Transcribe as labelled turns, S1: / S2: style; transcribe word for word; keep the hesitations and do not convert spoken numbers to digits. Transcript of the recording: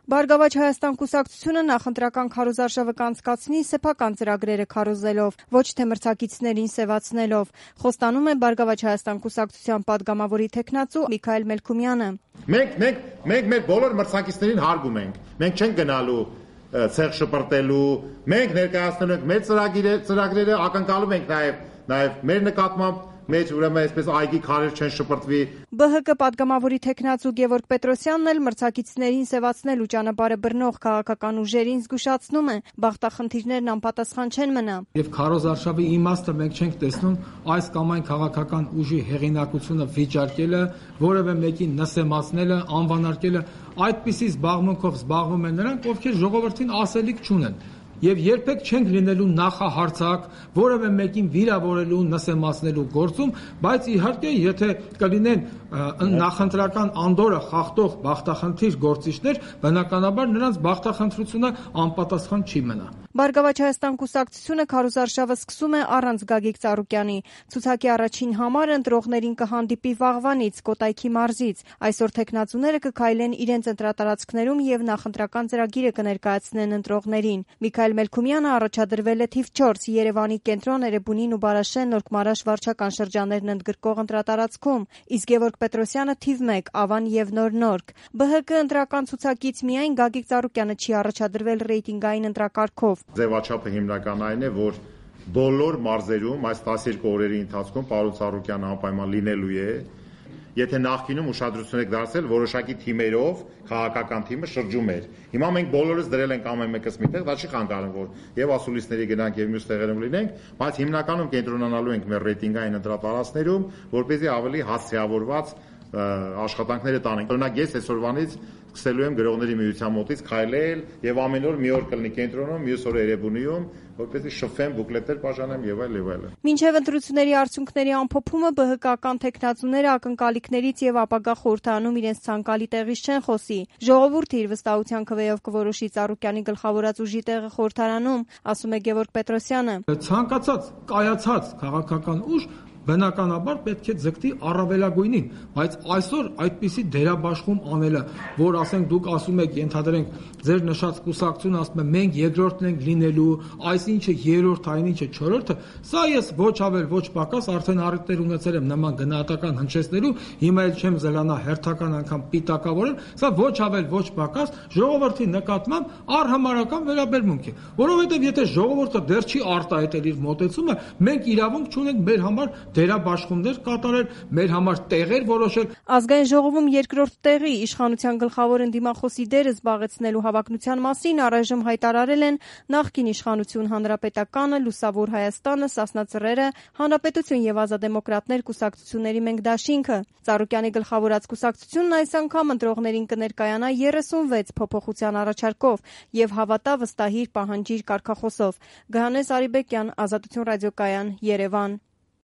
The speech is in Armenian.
S1: Բարգավաճ Հայաստան կուսակցությունը նախընտրական քարոզարշավը կանցկացնի սեփական ծրագրերը քարոզելով, ոչ թե մրցակիցներին սևացնելով, խոստանում է Բարգավաճ Հայաստան կուսակցության падգամավորի թեկնածու Միքայել Մելքումյանը։
S2: Մենք մենք մենք մեր բոլոր մրցակիցներին հարգում ենք։ Մենք չենք գնալու ցեղ շպրտելու, մենք ներկայացնում ենք մեր ծրագիրը, ծրագրերը ակնկալում ենք նաև նաև մեր նկատմամբ մեջ ուրեմն այսպես այգի քարեր չեն շպրտվի։
S1: Բ Հ Կ падգամավորի թեկնածու Գևորգ Պետրոսյանն էլ մրցակիցներին սևացնելու ճանապարհը բռնող քաղաքական ուժերին զգուշացնում է, բախտախնդիրներն անպատասխան չեն մնա։
S3: Եվ քարոզարշավի իմաստը մենք չենք տեսնում այս կամ այն քաղաքական ուժի հեղինակությունը վիճարկելը, որևէ մեկին նսեմացնելը, անվանարկելը, այդպիսի զբաղմունքով զբաղվում են նրանք, ովքեր ժողովրդին ասելիք չունեն։ Եվ երբեք չենք լինելու նախահարցակ, որևէ մեկին վիրավորելու, նսեմացնելու գործում, բայց իհարկե, եթե կլինեն նախընտրական անդորը խախտող բախտախնդիր գործիչներ, բնականաբար նրանց բախտախնդրությունը անպատասխան չի մնա։
S1: Բարգավաճ Հայաստան կուսակցությունը քարոզարշավը սկսում է առանց Գագիկ Ծառուկյանի։ Ցուցակի առաջին համարը ընտրողներին կհանդիպի վաղվանից Կոտայքի մարզից։ Այսօր թեկնածուները կքայլեն իրենց ընտրատարածքներում եւ նախընտրական ծրագիրը կներկայացնեն ընտրողներին։ Միքայել Մելքումյանը առաջադրվել է թիվ չորս Երևանի կենտրոն, Էրեբունին ու Բարաշեն, Նորք-Մարաշ վարչական շրջաններն ընդգրկող ընտրատարածքում, իսկ Գևորգ Պետրոսյանը թիվ մեկ Ավան եւ Նոր Նորք։ Բ Հ Կ ընտրական ցուցակից միայն Գագիկ Ծառուկյանը չի առաջադրվել ռեյտինգային ընտրակարգով։
S2: Ձևաչափը հիմնական այն է, որ բոլոր մարզերում այս տասներկու օրերի ընթացքում պարոն Ծառուկյանը անպայման լինելու է։ Եթե նախկինում ուշադրություն եք դարձել, որոշակի թիմերով քաղաքական թիմը շրջում էր։ Հիմա մենք բոլորս դրել ենք ամեն մեկս միտեղ, դա չի խանգարում, որ եւ ասուլիսների գնանք եւ մյուս տեղերում լինենք, բայց հիմնականում կենտրոնանալու ենք մեր ռեյտինգային ընտրատարածքներում, որպեսզի ավելի հասցեավորված աշխատանքները տանենք։ Օրինակ ես այսօրվանից սկսելու եմ գրողների միության մոտից քայլել եւ ամեն օր մի օր կլինի կենտրոնում, մյուս օրը Էրեբունիում, որպեսզի շփվեմ, բուկլետներ բաժանեմ եւ այլ եւ այլն։
S1: Մինչեւ ընտրությունների արդյունքների ամփոփումը Բ Հ Կական թեկնածուները ակնկալիքներից եւ ապագա խորհրդանում իրենց ցանկալի տեղից չեն խոսի։ Ժողովուրդը իր վստահության քվեով կորոշի Ծառուկյանի գլխավորած ուժի տեղը խորհրդարանում, ասում է Գևորգ Պետրոսյանը։
S3: Ցանկացած կայացած քաղաքական ուժ բնականաբար պետք է ձգտի առավելագույնին, բայց այսօր այդպիսի դերաբաշխում անելը, որ ասենք դուք ասում եք, ենթադրենք, ձեր նշած կուսակցությունը ասում է մենք երկրորդն ենք լինելու, այսինչը երրորդ, այնինչը չորրորդը, սա ես ոչ ավել ոչ պակաս արդեն առիթներ ունեցել եմ նման գնահատական հնչեցնելու, հիմա էլ չեմ զլանա հերթական անգամ պիտակավորել, սա ոչ ավել ոչ պակաս ժողովրդի նկատմամբ առհամարական վերաբերմունք է, որովհետև եթե ժողովուրդը դեռ չի արտահայտել իր մոտեցումը, մենք իրավունք չունենք մեր համար դերաբաշխումներ կատարել, մեր համար տեղեր որոշել։
S1: Ազգային ժողովում երկրորդ տեղի իշխանության գլխավոր ընդդիմախոսի դերը զբաղեցնելու հավակնության մասին առայժմ հայտարարել են նախկին իշխանություն Հանրապետականը, Լուսավոր Հայաստանը, Սասնա Ծռերը, Հանրապետություն եւ Ազատդեմոկրատներ կուսակցությունների մենք դաշինքը։ Ծառուկյանի գլխավորած կուսակցությունն այս անգամ ընտրողներին կներկայանա երեսունվեց փոփոխության առաջարկով եւ հավատա վստահիր պահանջիր կարգախոսով։ Գահանես Արիբեկյան, Ազատություն ռադիոկայան, Երևան։